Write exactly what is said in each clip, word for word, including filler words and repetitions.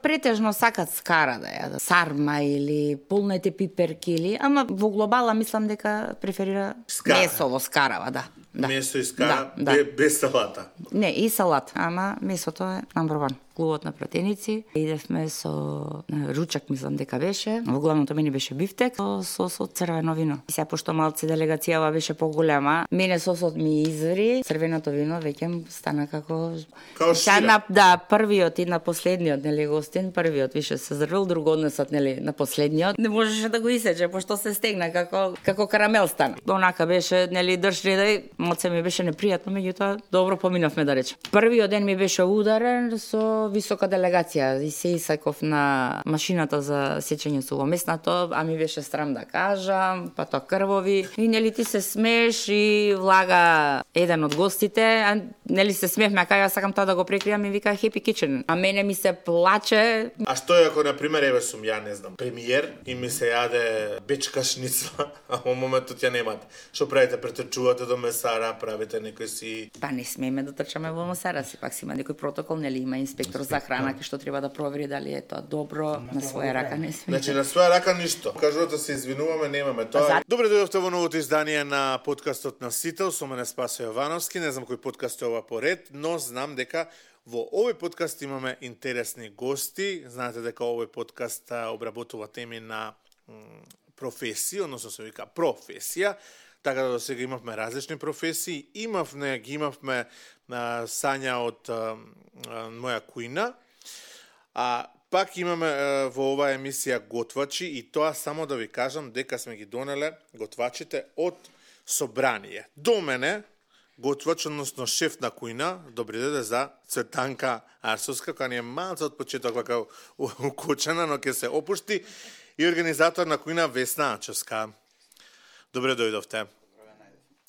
претежно сакат скара да јадат. Сарма или полнете пиперки или, ама во глобала мислам дека преферира скара. Месово скарава, да. Да. Месо и скара, да, да. без салата. Не, и салат, ама месото е number one. Клубот на пратеници. Идевме со ручак, мислам дека беше. Во главното мене беше бифтек со сос од црвено вино. И сега пошто малце делегацијава беше поголема, мене сосот ми изври, црвеното вино веќе стана како Као шира. на, да, првиот и на последниот, нели гостин, првиот више се зрвил, друго однесот, нели, на последниот. Не можеше да го исече пошто се стегна како како карамел стана. Онака беше, нели, држ редај, малце ми беше непријатно, меѓутоа добро поминавме да речем. Првиот ден ми беше ударен со висока делегација и се исаков на машината за сечење сувомеснато, а ми беше срам да кажам, па тоа крвови. И нели ти се смееш и влага еден од гостите, а нели се смеевме, а кај ја сакам тоа да го прекријам и вика Happy Kitchen. А мене ми се плаче. А што е ако, например, еве сум ја, не знам, премиер и ми се јаде бечка шницла, а во моментот ја немате. Што правите? Претрчувате до месара, правите некој си... Па не смееме да трчаме во месара, сепак си има некој протокол, нели има инспектор за храна кој што треба да провери дали е тоа добро, на своја рака не смееме. Значи на своја рака ништо. Кажувате се извинуваме, немаме тоа. За... Добре дојдовте во новото издание на подкастот на Сител, со мене Спасо Јовановски. Не знам кој подкаст е ова поред, но знам дека во овој подкаст имаме интересни гости. Знаете дека овој подкаст обработува теми на професии, односно се вика професија. Така да до сега имавме различни професии. Имавме, ги имавме а, Сања од а, а, моја кујна. А пак имаме а, во оваа емисија готвачи и тоа само да ви кажам дека сме ги донеле готвачите од Собрание. До мене готвач, односно шеф на кујна, добри дојде за Цветанка Арсовска, која ни е малце од почеток вака укочена, но ќе се опушти, и организатор на кујна Весна Ачевска. Добре дојдовте.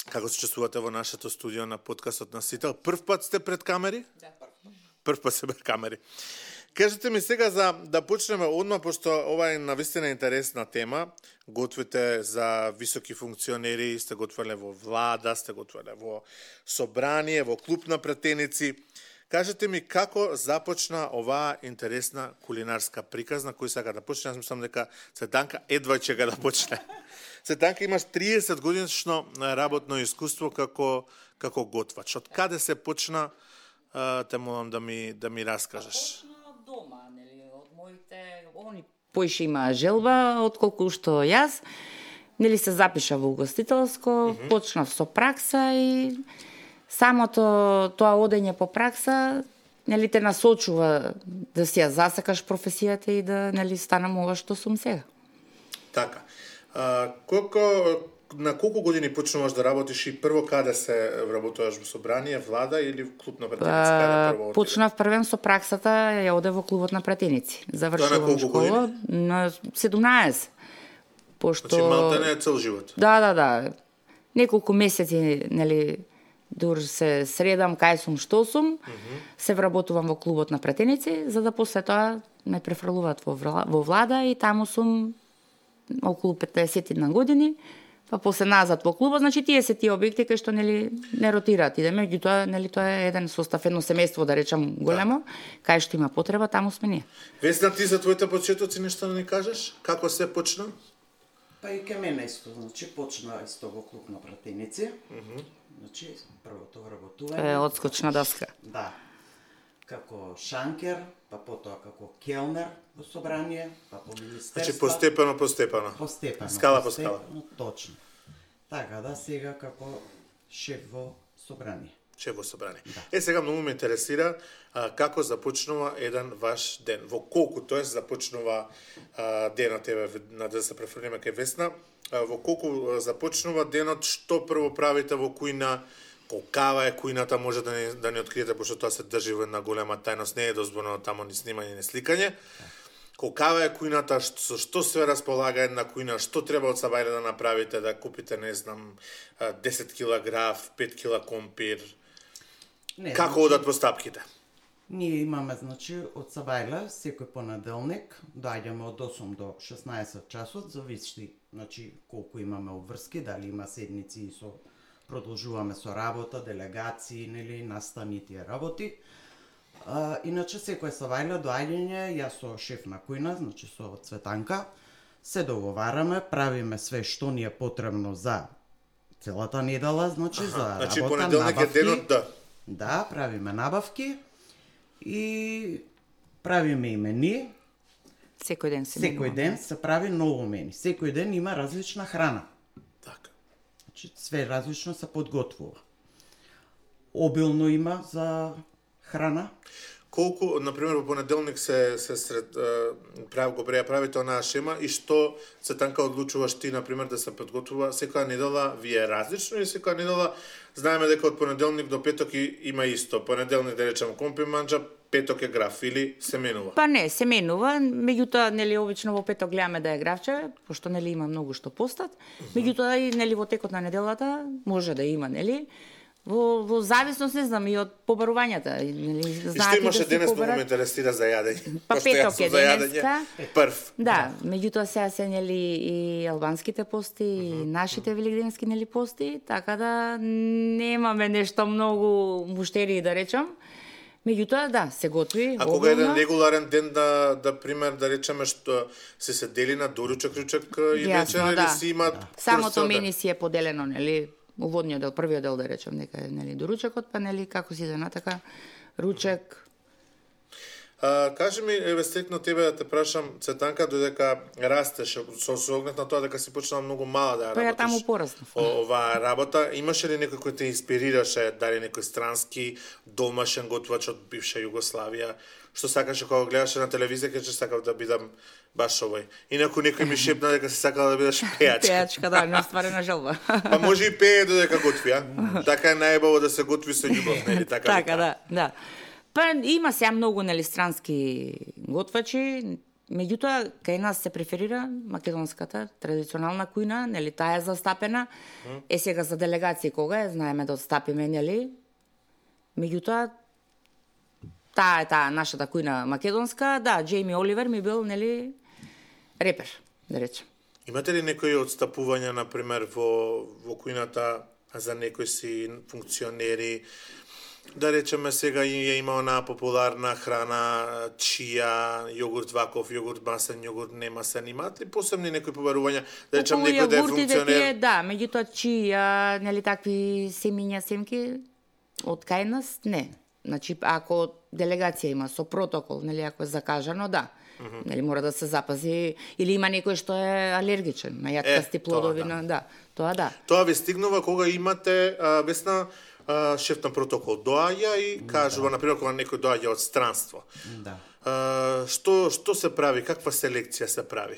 Како се чувствувате во нашето студио на подкастот на Сител? Прв пат сте пред камери? Да, прв. Прв пат сте пред камери. Кажете ми сега за да почнеме одма, пошто ова е навистина интересна тема. Готвите за високи функционери, сте готвеле во влада, сте готвеле во собрание, во клуб на пратеници. Кажете ми како започна оваа интересна кулинарска приказна, кој сака да почне? Јас мислам дека Цветанка едва ќе да почне. Цветанка, имаш триесет годишно работно искуство како како готвач. Од каде се почна? Те молам да ми да ми раскажеш. Почна од дома, нели, од моите, они поише имаа желба отколку што јас. Нели се запиша во угостителско, mm -hmm. почнав со пракса и самото тоа одење по пракса, нели те насочува да си ја засакаш професијата и да, нели, станам ова што сум сега. Така. А, колко, на колку години почнуваш да работиш и прво каде се работуваш во собрание, влада или в клуб на пратеници? Каде почнав првен со праксата, ја оде во клубот на пратеници. Завршувам школа на седумнаесет. Пошто... Значи малте не е цел живот. Да, да, да. Неколку месеци, нели, дур се средам кај сум, што сум, mm -hmm. се вработувам во клубот на пратеници, за да после тоа ме префрлуваат во, во влада и таму сум околу петнаесет на години, па после назад во клубот, значи тие се тие објекти кај што, нели, не ротираат. Идеме, меѓутоа, нели, тоа е еден состав, едно семејство, да речам, големо, да. Кај што има потреба, таму сме ние. Весна, ти за твоите почетоци нешто да ни кажеш? Како се почна? Па и ке мене исто, значи почна исто во клуб на пратеници. Mm -hmm. Значи првото вработување. Е, одскочна доска. Да. Како шанкер, па потоа како келнер во собрание, па по министерство. Значи постепено, постепено. Постепено. Скала постепено, по скала. Точно. Така да, сега како шеф во собрание. Шеф во собрание. Да. Е, сега многу ме интересира а, како започнува еден ваш ден. Во колку, тоест, започнува а, денот, еве, на да се префрлиме кај Весна, а, во колку започнува денот, што прво правите во кујна, колкава е кујната, може да не, да не откриете, пошто тоа се држи во една голема тајност, не е дозволено таму ни снимање, ни сликање. Колкава е кујната, што, што се располага една кујна, што треба од сабајле да направите, да купите, не знам, десет кила граф, пет кила компир. Не, како значи, одат постапките? Ние имаме, значи, од Сабајле, секој понеделник, доаѓаме од осум до шеснаесет часот, зависи, значи, колку имаме обврски, дали има седници и со продолжуваме со работа, делегации, нели, настани тие работи. А, иначе секој савајле доаѓање, јас со шеф на кујна, значи со Цветанка, се договараме, правиме све што ни е потребно за целата недела, значи Аха, за значи работа, понеделник е набавки. денот, да. Да, правиме набавки и правиме и мени. Секој ден се Секој менува. ден се прави ново мени. Секој ден има различна храна. Така. Значи, све различно се подготвува. Обилно има за храна. Колку, например, во понеделник се се сред е, прав го бреја правите онаа шема и што Цветанка одлучуваш ти, например, да се подготвува секоја недела, вие различно и секоја недела знаеме дека од понеделник до петок и, има исто. Понеделник да речеме компи манџа, петок е граф или се менува. Па не, се менува, меѓутоа нели обично во петок гледаме да е графче, пошто нели има многу што постат. Меѓутоа и нели во текот на неделата може да има, нели? Во, во зависност, не знам, и од побарувањата, нели, И што знаат и да имаше си денес, многу ме побарат. интересира за јадење. Па Пошто јас петок сум е за јадење денеска. прв. Да, меѓутоа сега се нели и албанските пости, и нашите великденски нели пости, така да немаме нешто многу муштерии да речам. Меѓутоа да, се готви. А кога е еден обилно. регуларен ден да да пример да речеме што се се дели на доручок, ручок и Јасно, вечер или да. си има Самото курс, да. мени си е поделено, нели, уводниот дел, првиот дел да речем, дека е нели доручокот, па нели како си иде натака ручек. А, кажи ми, еве стрикно тебе да те прашам, Цветанка, додека растеш, со со оглед на тоа дека си почнала многу мала да Па ја работиш. таму пораснав. о- Оваа работа, имаше ли некој кој те инспирираше, дали некој странски домашен готвач од бивша Југославија, што сакаше кога гледаше на телевизија, каже сакав да бидам баш овој. Инаку некој ми шепна дека се сакала да бидеш пејачка. Пејачка, да, неостварена желба. Па може и пее додека готви, а? Така е најбаво да се готви со љубов, нели така? Така, да, да. Па има сега многу нели странски готвачи, меѓутоа кај нас се преферира македонската традиционална кујна, нели таа е застапена. Е сега за делегации кога е, знаеме да отстапиме, нели? Меѓутоа таа е таа нашата кујна македонска, да, Джейми Оливер ми бил нели репер, да речем. Имате ли некои отстапувања, например, во, во кујната за некои си функционери? Да речеме сега и е има онаа популарна храна, чија, јогурт ваков, јогурт масен, јогурт немасен. Имаат ли посебни некои побарувања? Да речем Околу некој да е јогуртите функционер? тие, да, меѓутоа чија, нели такви семиња, семки од кај нас, не. Значи, ако делегација има со протокол, нели ако е закажано, да. Mm -hmm. Нели мора да се запази, или има некој што е алергичен на јаткасти Е, тоа плодови, да. на да, тоа да. Тоа ви стигнува кога имате а, Весна, а, шеф на протокол доаѓа и кажува, например, кога некој доаѓа од странство. Да. А, што што се прави? Каква селекција се прави?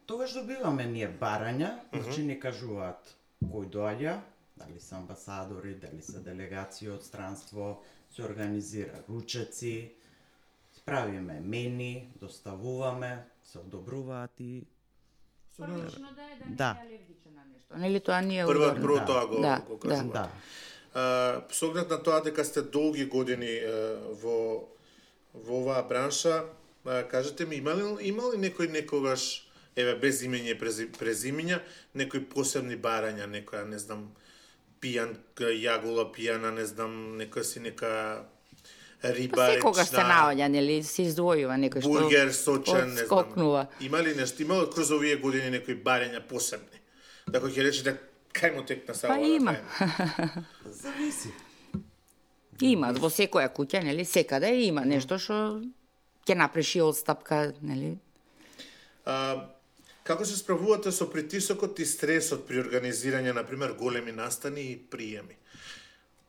Тогаш добиваме ние барања, значи ни кажуваат кој доаѓа, дали се амбасадори, дали се делегации од странство, се организира ручеци, правиме мени, доставуваме, се одобруваат и Првично да е да, Да. не е алергичен на нешто. Нели тоа не е Прво, удобно. прво да. тоа го, Да, го да. кажува. да. А, со оглед на тоа дека сте долги години е, во во оваа бранша, а, кажете ми, има ли, има ли некој некогаш, еве, без имење и прези- презимења, некои посебни барања, некоја, не знам, пијан, јагула пијана, не знам, некоја си нека риба, Па секогаш се речна, наоѓа, нели, се издвојува некој што бургер, сочен, не знам. скокнува. Има ли нешто, има ли кроз овие години некои барања посебни? Да кој ќе речете, кај му текна са Па ова да има. правиме? Зависи. Има во секоја куќа, нели, секаде има нешто што ќе напреши одстапка, нели. А, како се справувате со притисокот и стресот при организирање, на пример, големи настани и приеми?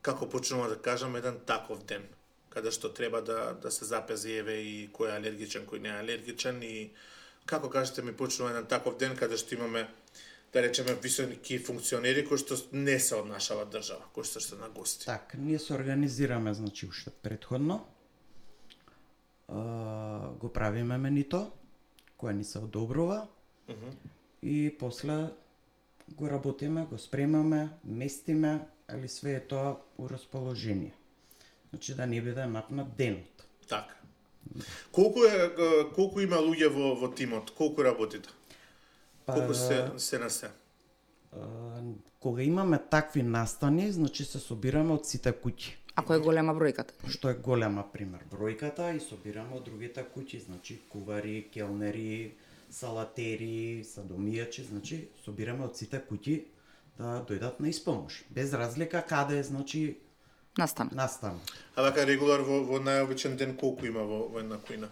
Како почнува да кажам еден таков ден, каде што треба да да се запази еве и кој е алергичен, кој не е алергичен и како кажете ми почнува еден таков ден каде што имаме да речеме високи функционери кои што не се од нашава држава, кои што се на гости. Так, ние се организираме, значи, уште предходно. А, го правиме менито, кое ни се одобрува. Uh -huh. И после го работиме, го спремаме, местиме, али све е тоа у расположение. Значи да не биде напнат денот. Така. Колку е е, колку има луѓе во во тимот? Колку работите? Па, Колку се се на се? а, кога имаме такви настани, значи се собираме од сите куќи. Ако е голема бројката. Што е голема, пример, бројката и собираме од другите куќи, значи кувари, келнери, салатери, садомијачи, значи собираме од сите куќи да дојдат на испомош. Без разлика каде е, значи, Настан. настан. А вака регулар во, во најобичен ден колку има во, во една кујна?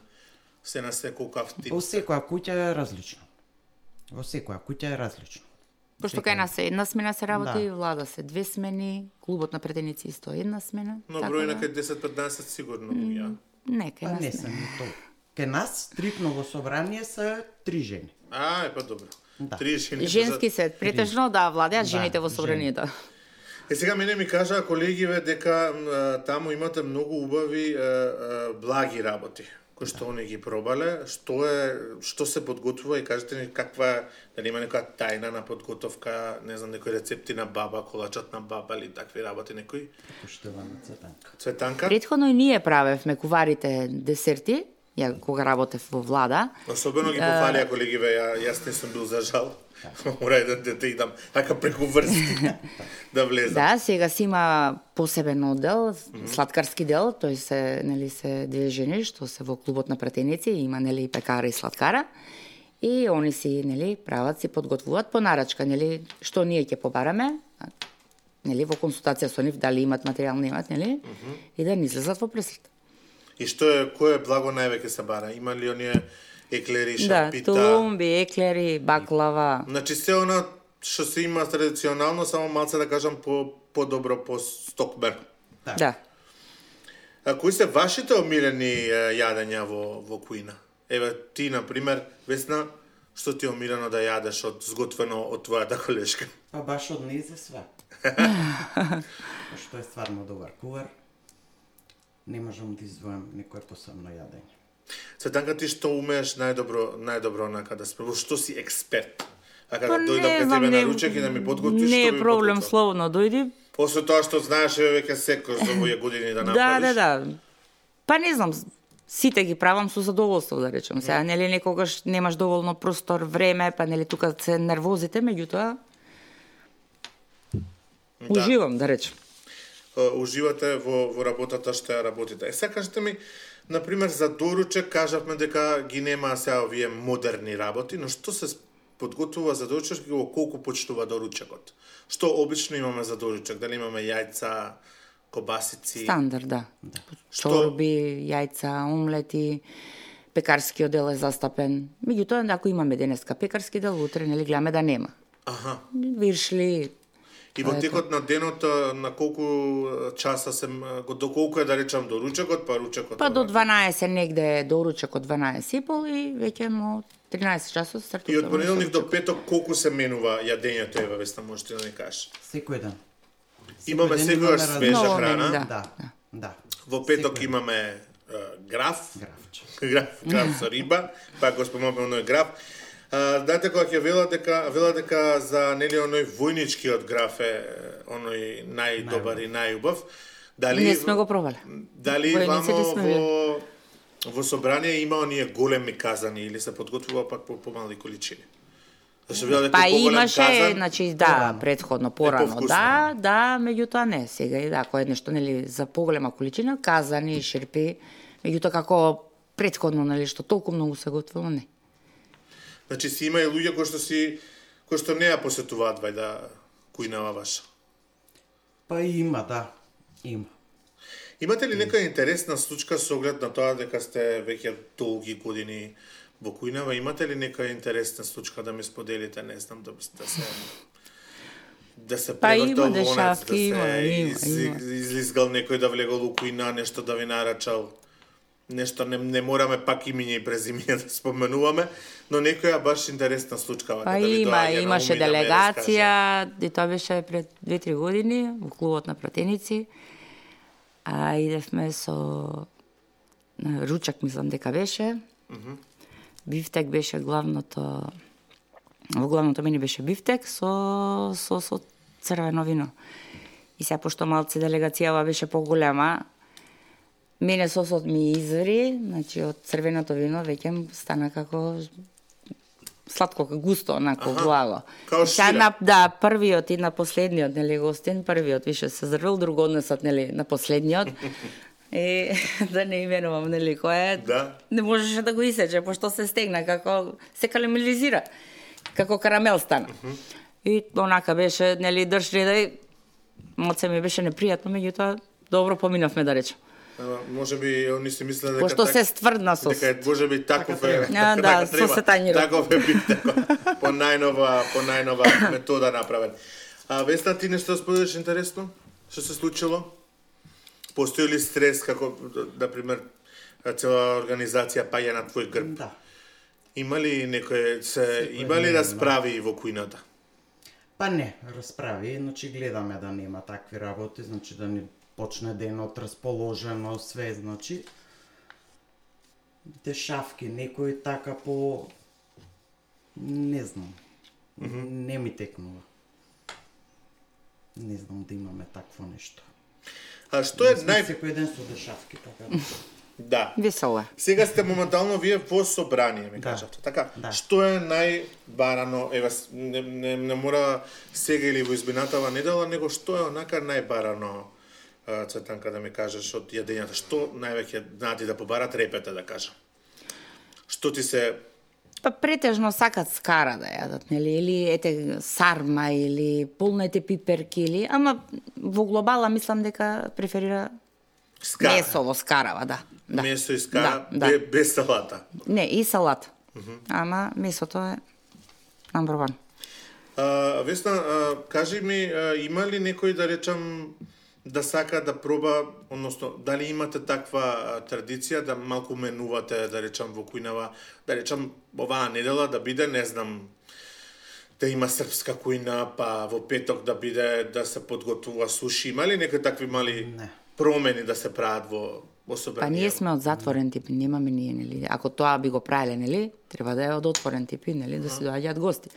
Се на се колкав тип? Во секоја куќа е различно. Во секоја куќа е различно. Пошто кај нас е една смена се работи, Да. влада се две смени, клубот на претеници исто една смена. Но така бројна да- кај десет-петнаесет сигурно ја. Не, кај Па нас не не. се ни то. Ке нас стрикно во собрание се три жени. А, е па добро. Да. Три жени. Женски се претежно да владеат Да, жените во жени. собранието. Е, сега мене ми кажаа колегиве дека м, таму имате многу убави е, е, благи работи кои што они ги пробале. Што е, што се подготвува и кажете ни каква е, дали има некоја тајна на подготовка, не знам, некои рецепти на баба, колачот на баба или такви работи некои? Поштована Цветанка. Цветанка? Претходно и ние правевме куварите десерти, ја кога работев во влада. Особено ги пофалија колегиве, ја, јас не сум бил за жал. Мора да, да, да идам така преку врсти да влезам. Да, сега си има посебен оддел, сладкарски дел, тој се, нели, се две жени што се во клубот на пратеници, има, нели, пекара и сладкара. И они си, нели, прават, си подготвуваат по нарачка, нели, што ние ќе побараме, а, нели, во консултација со нив, дали имат материјал, немат, нели, и да не излезат во пресрет. И што е, кој е благо највеќе се бара? Има ли оние еклери, Да, шапита? тумби, еклери, баклава. Значи се она што се има традиционално, само малце да кажам по подобро по стокбер. Да. Да. А кои се вашите омилени е, јадења во во кујна? Еве ти на пример, Весна, што ти е омилено да јадеш од сготвено од твојата колешка? Па баш од нејзе све. Што е стварно добар кувар. Не можам да издвојам некое посебно јадење. Цветанка, ти што умееш најдобро, најдобро онака да спреваш, што си експерт? Ака Па да дојдам не кај знам, тебе не- на ручек и да ми подготвиш, Не што е би проблем, подготвил? слободно дојди. После тоа што знаеш, еве веќе секој за овие години да Да, направиш. да, да. Па не знам, сите ги правам со задоволство, да речем. Сега, нели, некогаш немаш доволно простор, време, па нели тука се нервозите, меѓутоа уживам, да речем. Е, уживате во, во работата што ја работите. Е, сега кажете ми, например, за доручек кажавме дека ги нема сега овие модерни работи, но што се подготвува за доручек и во колку почнува доручекот? Што обично имаме за доручек? Дали имаме јајца, кобасици? Стандард, да. Што- Чорби, јајца, омлети, пекарскиот дел е застапен. Меѓутоа, ако имаме денеска пекарски дел, утре, нели, гледаме да нема. Аха. Виршли, И во текот на денот а, на колку а, часа се м, го- до колку е да речам доручекот, па ручекот? па до ова? дванаесет негде е доручек од дванаесет и пол и веќе му тринаесет часот И стартува. од понеделник до петок колку се менува јадењето, еве Весна, можете да ни кажеш? Секој ден. Имаме ден секогаш имаме свежа Ново храна. мену, да. Да, да. Во петок Секој имаме е, граф, графче. граф, граф со риба, па го спомнавме оној граф. А, дате кога ќе велат дека велат дека за нели оној војничкиот граф е оној најдобар и најубав. Дали Не сме го пробале. Дали Војниците вамо сме во во собрание има оние големи казани или се подготвува пак по помали количини? Зашто велат дека Па поголем имаше, казан, значи, да, предходно, порано, повкусно. да, да, меѓутоа не, сега и да, ако е нешто, нели, за поголема количина, казани, шерпи, меѓутоа како предходно, нели, што толку многу се готвило, не. Значи си има и луѓе кои што си кои што не ја посетуваат вајда кујнава ваша. Па има, да. Има. Имате ли некоја интересна случка со оглед на тоа дека сте веќе долги години во кујнава? Имате ли некоја интересна случка да ми споделите, не знам, да, да се да се Па има превртал лонец, дешавки, да се има, има, из, има. излизгал некој да влегол у кујна, нешто да ви нарачал. Нешто не, не мораме пак имиња и презимиња да споменуваме, но некоја баш интересна случка вака Па да ви има, доаѓа на имаше ум и да ме делегација, раскаже. и тоа беше пред две-три години, во клубот на пратеници, а идевме со на ручак, мислам дека беше. Бифтек беше главното, во главното меню беше бифтек со, со, со црвено вино. И сега, пошто малце делегацијава беше поголема, мене сосот ми изври, значи од црвеното вино веќе стана како сладко, густо, онако, Аха, благо. као Сега шира. на, да, првиот и на последниот, нели, гостин, првиот више се зрвил, друго однесот, нели, на последниот. И да не именувам, нели, кој е, Да. не можеше да го исече, пошто се стегна, како се карамелизира, како карамел стана. И онака беше, нели, држ редај, моце ми беше непријатно, меѓутоа, добро поминавме, да речем. Ама, може би они си мислеле дека Пошто так- се стврдна со дека е, може би таков е. А, да, така со треба. сетањето. Таков е бит, тако, по најнова, по најнова метода направен. А Весна, ти нешто споделиш интересно? Што се случило? Постои ли стрес како на пример цела организација паѓа на твој грб? Да. Има ли некој се Секој има ли ден, расправи во кујната? Па не, расправи, значи гледаме да нема такви работи, значи да ни почне денот расположено, све, значи дешавки, некој така по не знам. Не ми текнува. Не знам да имаме такво нешто. А што е Сме нај секој ден со дешавки, така да. да. Весело е. Сега сте моментално вие во собрание, ми Да. кажавте. Така, Да. што е најбарано, ева, с- не, не, не мора сега или во избинатава недела, него што е онака најбарано, а, Цветанка, да ми кажеш, од јадењата? Што највеќе знаати да побарат репете, да кажам? Што ти се... Па претежно сакат скара да јадат, нели, или ете сарма, или полнете пиперки, или, ама во глобала мислам дека преферира Скара. месо во скарава, да. да. Месо и скара, да, бе- да. без салата. Не, и салат. Ама месото е number one. А, Весна, а, кажи ми, а, има ли некој, да речам, да сака да проба, односно, дали имате таква а, традиција да малку менувате, да речам, во кујнава, да речам, оваа недела да биде, не знам, да има српска кујна, па во петок да биде, да се подготвува суши. Има ли некои такви мали Не. промени да се прават во, во Па собрание? ние сме од затворен тип, немаме ние, нели. Ако тоа би го правеле, нели, треба да е од отворен тип, и, нели, да се доаѓаат гости.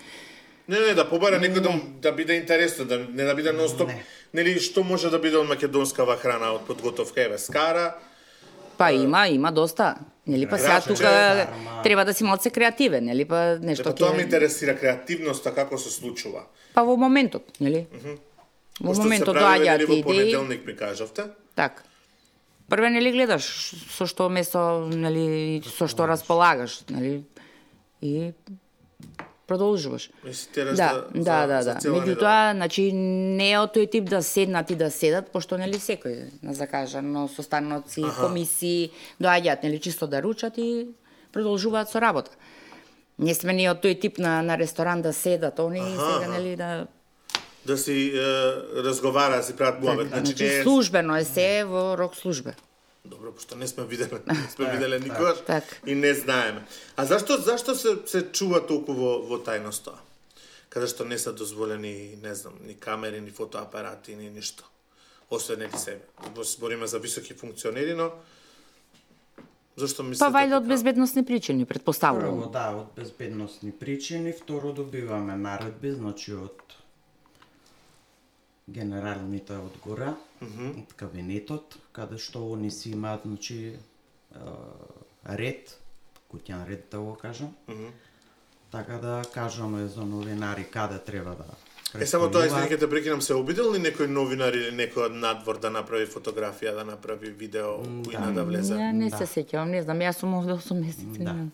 Не, не, да побара некој да, да биде интересно, да не да биде нон-стоп. Не. Нели, што може да биде од македонскава храна, од подготовка, еве, скара, Па има, има доста. Нели, па сега Граче, тука сарма. треба да си малце креативен, нели, па Па нешто тоа ме ќе... интересира, креативноста, како се случува. Па во моментот, нели? Во Пошто моментот се прави, доаѓаат нели, во идеи. понеделник ми кажавте. Така. Прве, нели, гледаш со што месо, нели, со што располагаш, нели, и продолжуваш. Мислите, Да, за, да, за, да, за да. цела Меѓутоа, значи, не е од тој тип да седнат и да седат, пошто, нели, секој, на закажано, состаноци, Аха. комисии, доаѓаат, нели, чисто да ручат и продолжуваат со работа. Не сме ни од тој тип на, на ресторан да седат, они Аха, сега, аха. нели, да... да си е, разговара, да си прават муабет. Значи, Значи, не е... службено е се во рок службе. Добро, пошто не сме виделе, не сме виделе никогаш так. и не знаеме. А зашто зашто се се чува толку во во тајност тоа? Каде што не се дозволени, не знам, ни камери, ни фотоапарати, ни ништо. Освен нели себе. Збориме за високи функционери, но зашто мислите? Па вајде од така? безбедносни причини, Прво, предпоставувам. да, од безбедносни причини, второ добиваме наредби, значи од генералните од гора, од кабинетот, каде што они си имаат, значи, е, ред, куќан ред да го кажам. Така да кажаме за новинари каде треба да Е, само тоа, престојуваат. извини, те прекинам, се обидел ли некој новинар или некој од надвор да направи фотографија, да направи видео, кујна да влезе? Ја не Да. се сеќавам, не знам, јас сум овде осум месеци. Да. не знам.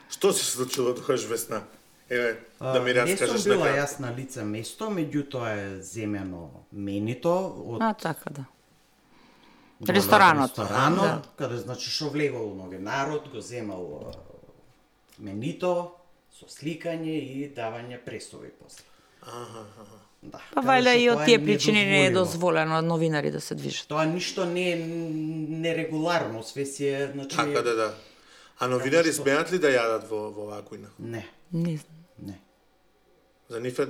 Што се случило тогаш, Весна? Еве, да ми А, раскажеш Не сум била накратко. јас на лице место, меѓутоа е земено менито од А, така да. доле од Ресторанот. ресторанот, Да. каде значи шо влегол новинарот, го земал а, менито со сликање и давање пресови после. Аха, аха. Да. Па каде вајде што и од тоа тие е причини не е недозволено. дозволено од новинари да се движат. Тоа ништо не е нерегуларно, све си е, значи... Така да, да. А новинари смеат ли да јадат во во оваа кујна? Не, Не знам. не. За нив е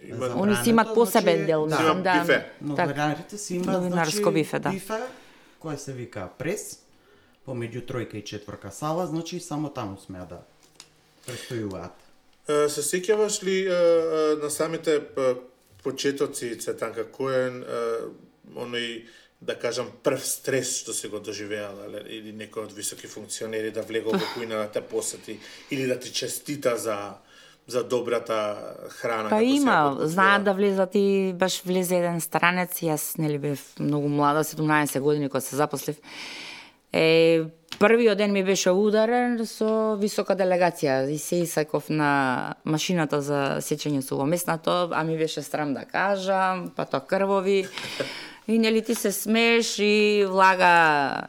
има За- Они си имат Забрането, посебен значи, дел, да. мислам, да. Бифе. Така. Новинарите си имаат, Новинарско значи, бифе, да. бифе, кој се вика прес, помеѓу тројка и четврка сала, значи само таму смеа да престојуваат. Е, се сеќаваш ли е, е, на самите е, почетоци, Цветанка, кој е е, оној, да кажам, прв стрес што се го доживеала, ле, или некој од високи функционери да влегол во кујна да те посети, или да ти честита за за добрата храна. Па како се ја има, подготвила? знаат да влезат и баш влезе еден странец, јас нели бев многу млада, седумнаесет години кога се запослив. Е, првиот ден ми беше ударен со висока делегација и се исаков на машината за сечење сувомеснато, а ми беше срам да кажам, па тоа крвови. И нели ти се смееш и влага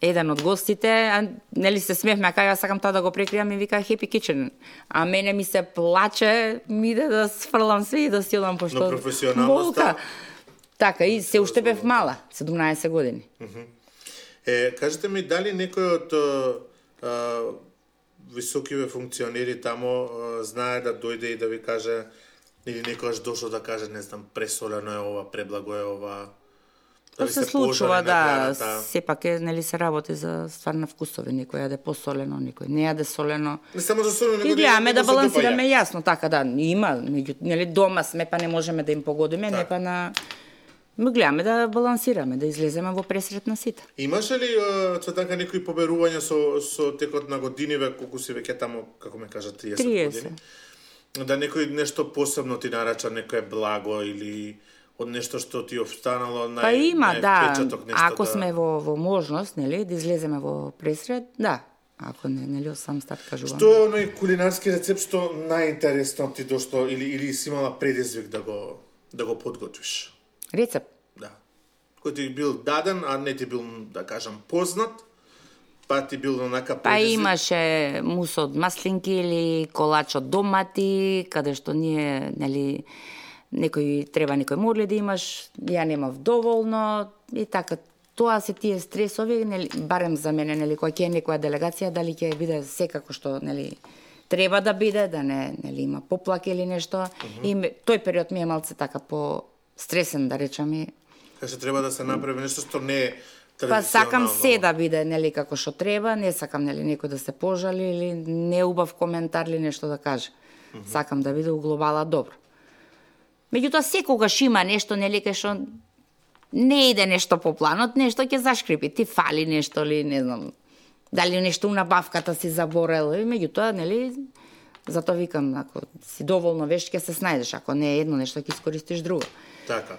еден од гостите, а нели се смеевме, а кај јас сакам тоа да го прекријам и вика Happy Kitchen. А мене ми се плаче, ми иде да сфрлам све и да си одам пошто. Но професионалноста... Така, и се уште бев мала, седумнаесет години. Е, кажете ми, дали некој од а, високиве функционери тамо а, знае да дојде и да ви каже, или некојаш дошол да каже, не знам, пресолено е ова, преблаго е ова... Тоа се случува, да, сепак е, нели се работи за ствар на вкусови, некој јаде посолено, некој не јаде солено. Не само за солено, и гледаме да балансираме јасно, така да, има, меѓу, нели дома сме, па не можеме да им погодиме, так. Не па на... Ми гледаме да балансираме, да излеземе во пресрет на сите. Имаше ли Цветанка некои поберувања со со текот на годиниве, колку си веќе тамо, како ме кажа, триесет, триесет години? Да некој нешто посебно ти нарача, некое благо или од нешто што ти обстанало нај, па има, да, нешто ако да... сме во, во можност, нели, да излеземе во пресрет, да. Ако не, нели, сам старт кажувам. Што е оној кулинарски рецепт што најинтересно ти дошто или или си имала предизвик да го да го подготвиш? Рецепт? Да. Кој ти бил даден, а не ти бил, да кажам, познат, па ти бил онака предизвик? Па имаше мус од маслинки или колач од домати, каде што ние, нели, некој треба некој морли да имаш, ја немав доволно и така. Тоа се тие стресови, нели, барем за мене, нели, кога ќе е некоја делегација, дали ќе биде секако што, нели, треба да биде, да не, нели, има поплак или нешто. Uh-huh. И тој период ми е малце така по стресен, да речам. Каже, треба да се направи нешто што не е традиционално. Па сакам се да биде, нели, како што треба, не сакам, нели, некој да се пожали или неубав коментар или нешто да каже. Uh -huh. Сакам да биде углобала добро. Меѓутоа секогаш има нешто, нели, кај што не иде нешто по планот, нешто ќе зашкрипи, ти фали нешто или не знам, дали нешто на бавката си заборел, и меѓутоа, нели, затоа викам, ако си доволно вешт, ќе се снајдеш, ако не е едно нешто, ќе искористиш друго. Така.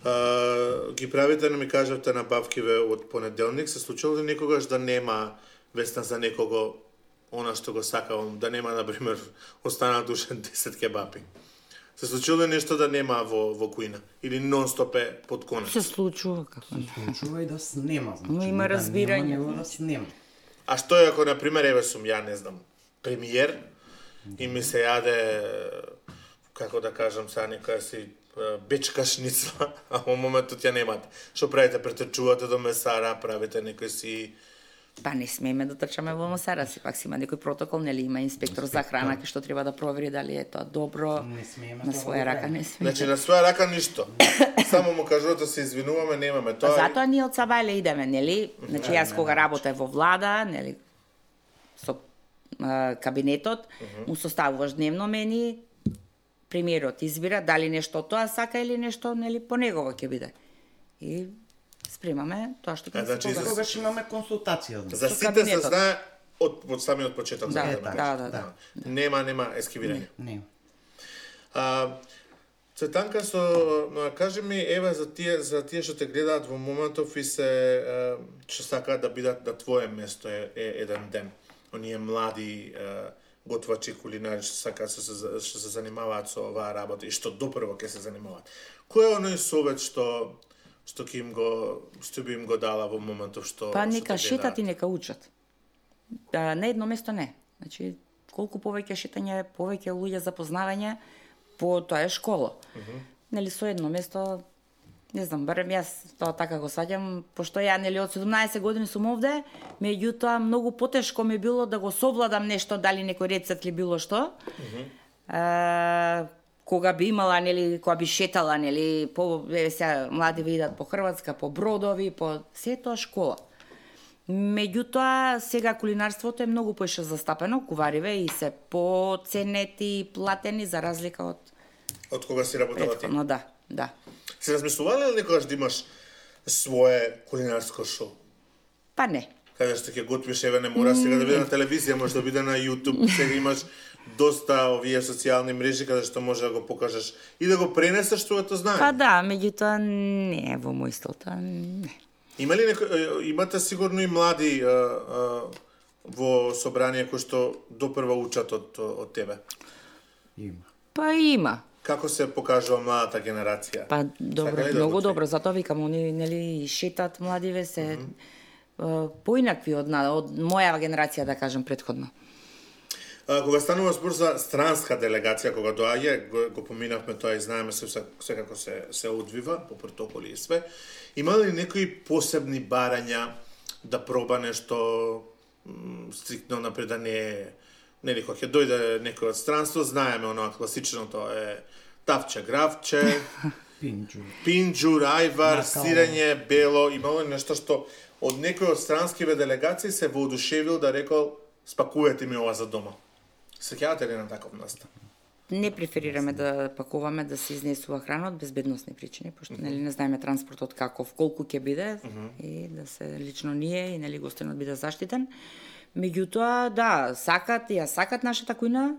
Uh, ги правите, не ми кажавте, на бавкиве од понеделник, се случило ли некогаш да нема Весна за некого она што го сакавам, да нема, например, останат уште десет кебапи? Се случило ли нешто да нема во, во кујна? Или нон-стоп е под конец? Се случува, како не. Се случува и да снема, значи. Но има разбирање. Да нема, да снема. А што е ако, например, еве сум ја, не знам, премиер, и ми се јаде, како да кажам сега, некоја си бечка шницла, а во моментот ја немате. Што правите? Претрчувате до месара, правите некој си... Па не смееме да трчаме во месара, си пак си има некој протокол, нели има инспектор за храна кој што треба да провери дали е тоа добро. Не смееме на своја рака не смееме. Значи на своја рака ништо. Само му кажувате се извинуваме, немаме тоа. Затоа ние од Сабајле идеме, нели? Значи јас кога работев во влада, нели, со а, кабинетот, му составуваш дневно мени, премиерот избира дали нешто тоа сака или нешто, нели, по негово ќе биде. И спремаме тоа што ќе значи, се За тогаш имаме консултација. За сите се знае од, од самиот почеток. Да, за да, да, да, да. Нема, нема ескивирање. Не. А, Цветанка, со, кажи ми, еве, за тие, за тие што те гледаат во моментов и се, што сакаат да бидат на твое место е, е еден ден. Оние млади е, готвачи, кулинари, што сакаат, што се, што се занимаваат со оваа работа и што допрво ќе се занимаваат. Кој е оној совет што што ќе им го што би им го дала во моментов што Па што нека шетат и нека учат. Да, на едно место не. Значи колку повеќе шетање, повеќе луѓе запознавање, по тоа е школа. Uh -huh. Нели со едно место, не знам, барем јас тоа така го саѓам, пошто ја нели од седумнаесет години сум овде, меѓутоа многу потешко ми било да го совладам нешто, дали некој рецепт или било што. Uh -huh. а, кога би имала, нели, кога би шетала, нели, по сега млади видат по Хрватска, по бродови, по се тоа школа. Меѓутоа, сега кулинарството е многу поише застапено, кувариве и се поценети и платени за разлика од од кога си работела ти. No, да, да. Се размислувале ли некогаш да имаш свое кулинарско шоу? Па не. каде што ќе готвиш, еве не мора сега да биде на телевизија, може да биде на YouTube, сега имаш доста овие социјални мрежи каде што може да го покажеш и да го пренесеш твоето знание. Па да, меѓутоа не е во мој стил, тоа не. Има ли некој, имате сигурно и млади а, а, во собрание кои што допрва учат од, од тебе? Има. Па има. Како се покажува младата генерација? Па добро, да многу го добро, затоа викам, они нели шетат младиве се mm -hmm. поинакви од од моја генерација, да кажам, претходно. А, кога станува збор за странска делегација, кога доаѓа, го, го поминавме тоа и знаеме се секако се се одвива по протоколи и све. Има ли некои посебни барања да проба нешто стриктно напред да не е, нели кога ќе дојде некој од странство, знаеме оноа класичното е тавче, гравче, Пинџур. пинџур, ајвар, Накао. сирење, бело, имало ли нешто што од некој од странскиве делегации се воодушевил да рекол спакувајте ми ова за дома. Сеќавате ли на таков настан? Не преферираме да пакуваме да се изнесува храна од безбедносни причини, пошто нели не знаеме транспортот каков, колку ќе биде и да се лично ние и нели гостинот биде заштитен. Меѓутоа, да, сакат, ја сакат нашата кујна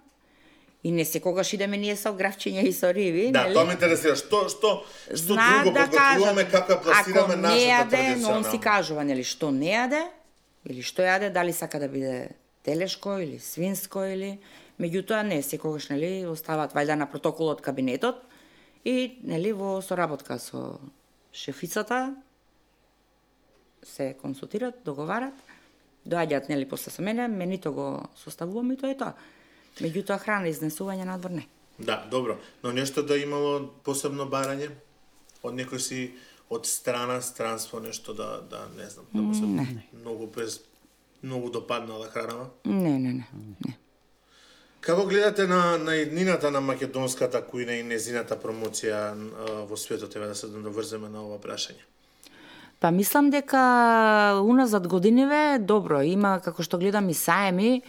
и не секогаш идеме ние со гравчиња и со риби, Да, нели? тоа ме интересира. Што што што Знаат друго да подготвуваме, како ја пласираме ако не нашата јаде, но он си традиционална? кажува, нели, што не јаде, или што јаде, дали сака да биде телешко или свинско или меѓутоа не секогаш нели оставаат вајда на протоколот кабинетот и нели во соработка со шефицата се консултираат, договарат, доаѓаат нели после со мене, менито го составувам и тоа е тоа. Меѓутоа храна изнесување надвор не. Да, добро. Но нешто да имало посебно барање од некој си од страна, странство, нешто да да не знам, да му се многу без многу допаднала хранава. Не, не, не. не. Како гледате на на еднината на македонската кујна и незината промоција а, во светот, еве да се доврземе на ова прашање? Па мислам дека уназад годиниве добро има, како што гледам и саеми,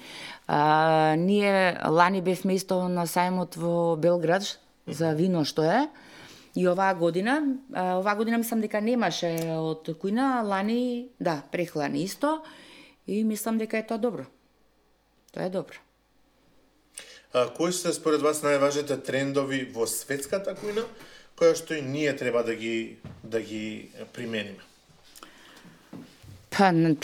а, ние лани бевме исто на саемот во Белград за вино што е. И оваа година, а, оваа година мислам дека немаше од кујна, лани, да, прехлани исто и мислам дека е тоа добро. Тоа е добро. А, кои се според вас најважните трендови во светската кујна, кои што и ние треба да ги да ги примениме? Па, н-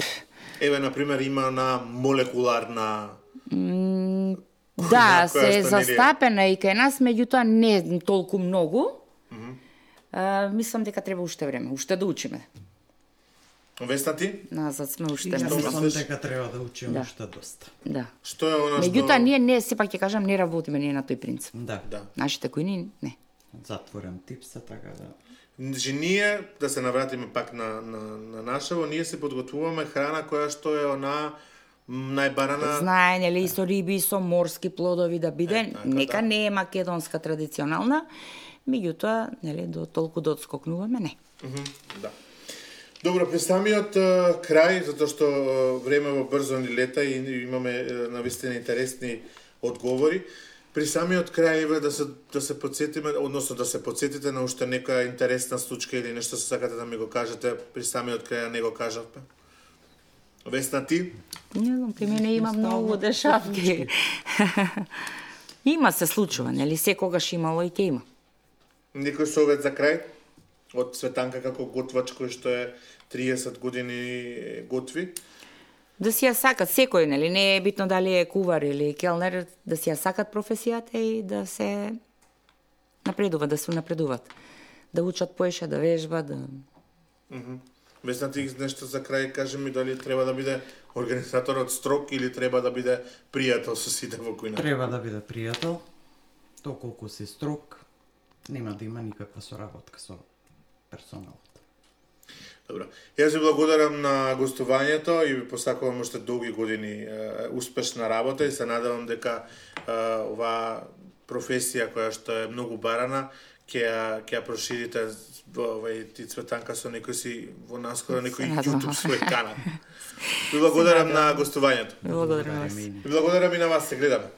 Еве, на пример, има на молекуларна... да, која се што нели е- застапена и кај нас, меѓутоа не толку многу. А, мислам дека треба уште време, уште да учиме. Весна ти? Назад сме И уште јас Што не. мислам мислиш? дека треба да учиме Да. уште доста. Да. Што е она што... Меѓутоа ние не, сепак ќе кажам, не работиме ние на тој принцип. Да. Да. Нашите којни не. Затворен тип се, така да... Значи, ние, да се навратиме пак на, на, на нашево, ние се подготвуваме храна која што е она м, најбарана... Знае, нели, и со риби, и со морски плодови да биде, Е, така, нека да. не е македонска традиционална, меѓутоа, нели, до толку да одскокнуваме, не. Мгм, да. Добро, при самиот е, крај, затоа што е, времево брзо ни лета и имаме е, навистина интересни одговори, при самиот крај еве да се да се потсетиме, односно да се потсетите на уште некоја интересна случка или нешто се сакате да ми го кажете при самиот крај, а не го кажавме. Весна ти? Не знам, кај мене има многу дешавки. Има се случува, нели, секогаш имало и ќе има. Некој совет за крај? Од Светанка како готвач кој што е триесет години готви? Да си ја сакат секој, нели, не е битно дали е кувар или келнер, да си ја сакат професијата и да се напредуваат, да се напредуваат. Да учат поише, да вежбат, да... Весна ти нешто за крај, кажи ми дали треба да биде организаторот строг или треба да биде пријател со сите во кујна? Треба да биде пријател, доколку си строг, нема да има никаква соработка со персоналот. Добро. Јас ви благодарам на гостувањето и ви посакувам уште долги години е, успешна работа и се надевам дека е, оваа професија која што е многу барана ќе ја ќе ја проширите во овај ти Цветанка со некој си во наскоро некој Се надевам. YouTube свој канал. Ви благодарам на гостувањето. Благодарам вас. Ви благодарам и на вас, се гледаме.